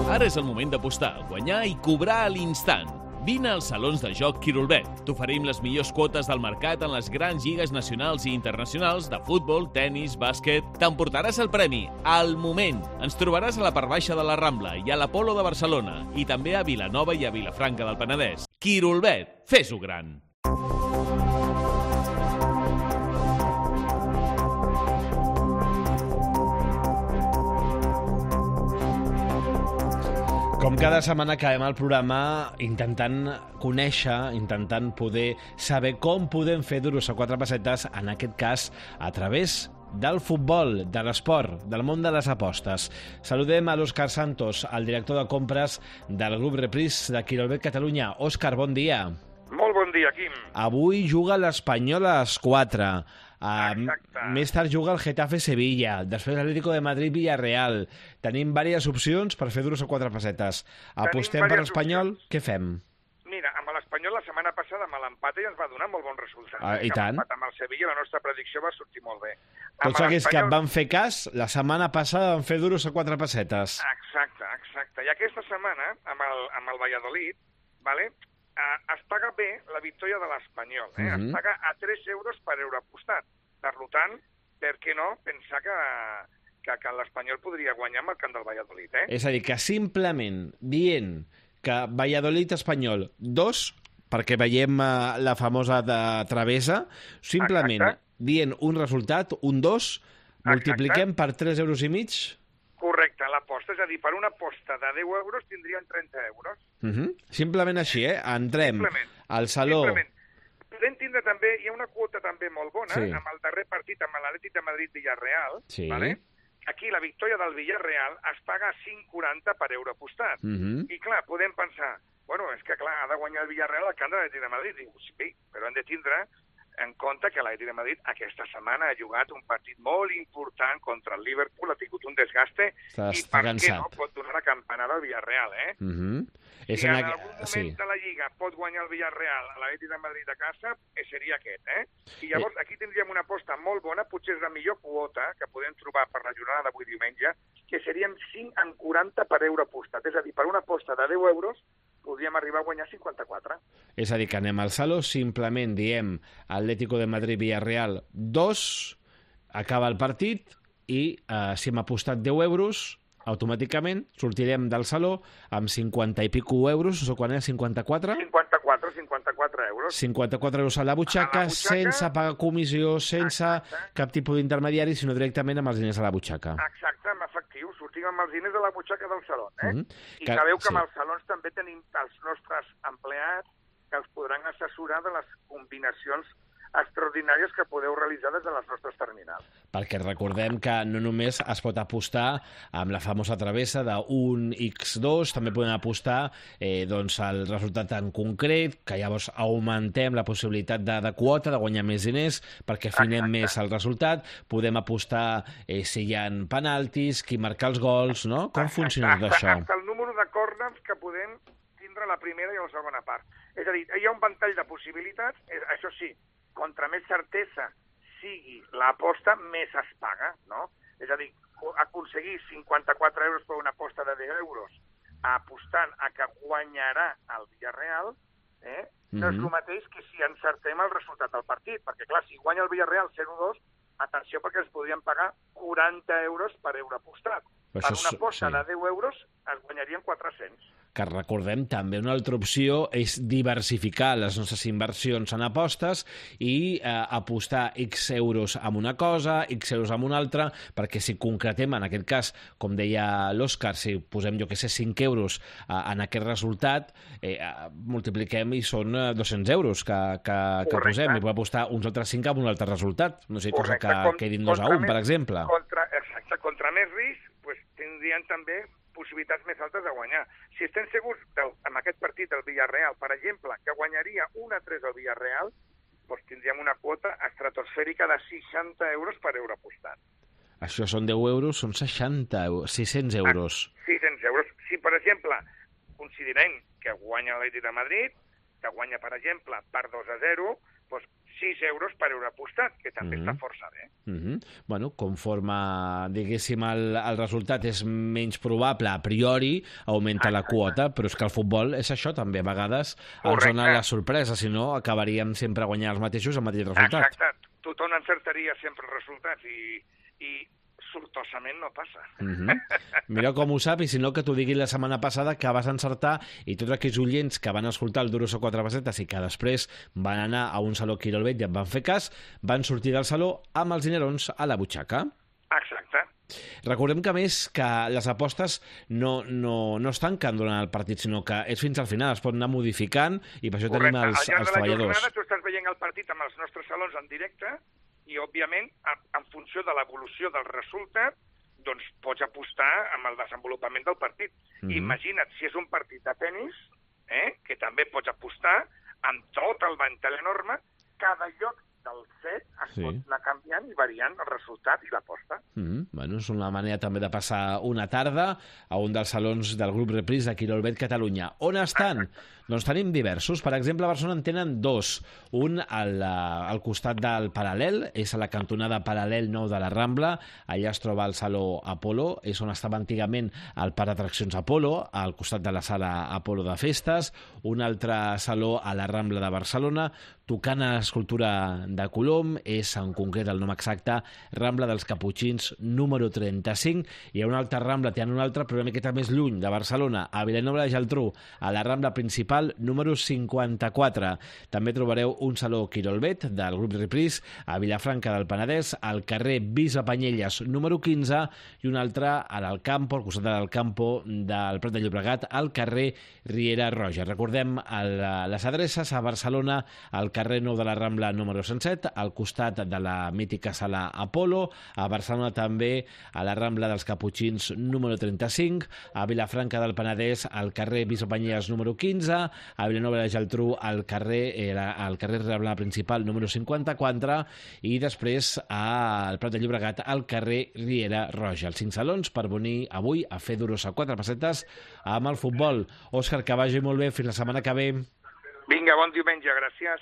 Ara és el moment d'apostar, guanyar i cobrar a l'instant. Vine als salons de joc Quirolbet. T'oferim les millors quotes del mercat en les grans lligues nacionals i internacionals de futbol, tennis, bàsquet. T'emportaràs el premi al moment. Ens trobaràs a la part baixa de la Rambla i a l'Apolo de Barcelona i també a Vilanova i a Vilafranca del Penedès. Quirolbet, fes-ho gran! Com cada setmana acabem el programa intentant conèixer, intentant poder saber com podem fer duros a 4 pessetes, en aquest cas a través del futbol, de l'esport, del món de les apostes. Saludem a l'Òscar Santos, el director de compres del grup Reprise de Quirolbet Catalunya. Òscar, bon dia. Molt bon dia, Quim. Avui juga l'Espanyol a les 4. Exacte. Més tard juga el Getafe-Sevilla, després l'Atlético de Madrid-Villarreal. Tenim diverses opcions per fer duros a 4 pessetes. Apostem per l'Espanyol, què fem? Mira, amb l'Espanyol la setmana passada amb l'empat ja ens va donar molt bon resultat. I tant. L'empat amb el Sevilla la nostra predicció va sortir molt bé. Tots aquells que van fer cas, la setmana passada van fer duros a 4 pessetes. Exacte. I aquesta setmana, amb el Valladolid, vale, es paga bé la victòria de l'Espanyol. Es paga a 3 euros per euro apostat. Per tant, per què no pensar que l'Espanyol podria guanyar amb el camp del Valladolid? És a dir, que simplement dient que Valladolid-Espanyol 2, perquè veiem la famosa de travessa, simplement dient un resultat, un 2, multipliquem per 3 euros i mig? Correcte, l'aposta, és a dir, per una aposta de 10 euros tindrien 30 euros. Simplement així, Entrem al saló. Simplement. Podem tindre també, hi ha una quota també molt bona, amb el darrer partit, amb l'Atlètic de Madrid-Villarreal, vale? Aquí la victòria del Villarreal es paga a 5,40 per euro apostat. I clar, podem pensar, bueno, és que clar, ha de guanyar el Villarreal al camp de l'Atlètic de Madrid. Diu, sí, però hem de tindre en compte que l'Atlètic de Madrid aquesta setmana ha jugat un partit molt important contra el Liverpool, ha tingut un desgaste i per què no pot donar la campanada al Villarreal, Si en algun moment de la Lliga pot guanyar el Villarreal a l'Atlètic de Madrid a casa, seria aquest, I llavors aquí tindríem una aposta molt bona, potser és la millor quota que podem trobar per la jornada d'avui diumenge, que serien 5,40 per euro apostat. És a dir, per una aposta de 10 euros podríem arribar a guanyar 54. És a dir, que anem al saló, simplement diem Atlético de Madrid-Villarreal 2, acaba el partit i si hem apostat 10 euros, automàticament sortirem del saló amb 50 i pico euros, o quan era 54? 54 euros. 54 euros a la butxaca, sense pagar comissió, sense cap tipus d'intermediari, sinó directament amb els diners a la butxaca. Exacte, amb efectiu, sortim amb els diners a la butxaca del saló. I sabeu que amb els salons també tenim els nostres empleats que els podran assessorar de les combinacions extraordinàries que podeu realitzar des de les nostres terminals. Perquè recordem que no només es pot apostar amb la famosa travessa d'un X2, també podem apostar el resultat en concret, que llavors augmentem la possibilitat de quota, de guanyar més diners, perquè afinem més el resultat. Podem apostar si hi ha penaltis, qui marca els gols, no? Com funciona tot això? Fins el número de corners que podem tindre a la primera i a la segona part. És a dir, hi ha un ventall de possibilitats, això sí, contra més certesa sigui l'aposta, més es paga, no? És a dir, aconseguir 54 euros per una aposta de 10 euros apostant a que guanyarà el Villarreal, no és el mateix que si encertem el resultat del partit, perquè clar, si guanya el Villarreal 0-2, atenció perquè es podrien pagar 40 euros per euro apostat. Per una aposta de 10 euros es guanyarien 400. Que recordem també una altra opció és diversificar les nostres inversions en apostes i apostar X euros amb una cosa, X euros amb una altra, perquè si concretem, en aquest cas, com deia l'Òscar, si posem, jo que sé, 5 euros en aquest resultat, multipliquem i són 200 euros que posem, i podem apostar uns altres 5 amb un altre resultat, no sé, cosa que quedin 2-1, per exemple. Exacte, contra més risc, tindrien també possibilitats més altes de guanyar. Si estem segurs amb aquest partit del Villarreal, per exemple, que guanyaria 1-3 al Villarreal, doncs tindríem una quota estratosfèrica de 60 euros per euro apostat. Això són 10 euros, són 600 euros. 600 euros. Si, per exemple, considerem que guanya l'Atlètic de Madrid, que guanya, per exemple, per 2-0, doncs 6 euros per euro apostat, que també està força bé. Bueno, conforme, diguéssim, el resultat és menys probable, a priori, augmenta la quota, però és que el futbol és això també, a vegades ens dona la sorpresa, si no acabaríem sempre guanyant els mateixos el mateix resultat. Exacte, tothom encertaria sempre els resultats i sortosament no passa. Mira com ho sap, i si no que t'ho digui la setmana passada que vas encertar, i tots aquells oients que van escoltar el Duros o 4 pessetes i que després van anar a un saló Quirolbet i en van fer cas, van sortir del saló amb els dinerons a la butxaca. Exacte. Recordem que, a més, que les apostes no es tanquen durant el partit, sinó que és fins al final, es pot anar modificant, i per això tenim els treballadors. Al llarg de la jornada tu estàs veient el partit amb els nostres salons en directe, i, òbviament, en funció de l'evolució del resultat, doncs pots apostar amb el desenvolupament del partit. Imagina't si és un partit de tennis, que també pots apostar amb tot el ventall enorme, cada lloc del set es pot anar canviant i variant el resultat i l'aposta. Bueno, és una manera també de passar una tarda a un dels salons del grup Reprise de Quirolbet Catalunya. On estan? Doncs tenim diversos. Per exemple, a Barcelona en tenen dos. Un al costat del Paral·lel, és a la cantonada Paral·lel 9 de la Rambla. Allà es troba el Saló Apolo, és on estava antigament el parc d'atraccions Apolo, al costat de la sala Apolo de festes. Un altre saló a la Rambla de Barcelona, tocant a l'escultura de Colom, és en concret el nom exacte Rambla dels Caputxins número 35. Hi ha una altra Rambla, té una altra, però una miqueta més lluny de Barcelona, a Vilanova i la Geltrú, a la Rambla principal número 54. També trobareu un saló Quirolbet del grup Reprise a Vilafranca del Penedès, al carrer Bisbapanyelles número 15, i un altre a l'Alcampo, al costat de l'Alcampo del Prat de Llobregat, al carrer Riera Roja. Recordem les adreces: a Barcelona, al carrer Nou de la Rambla número 107, al costat de la mítica sala Apolo; a Barcelona també a la Rambla dels Caputxins número 35, a Vilafranca del Penedès, al carrer Bisbapanyelles número 15, a Vilanova i la Geltrú al carrer Rambla principal número 54, i després al Prat de Llobregat al carrer Riera Roja. Els 5 salons per venir avui a fer duros a 4 pessetes amb el futbol. Òscar, que vagi molt bé, fins la setmana que ve. Vinga, bon diumenge, gràcies.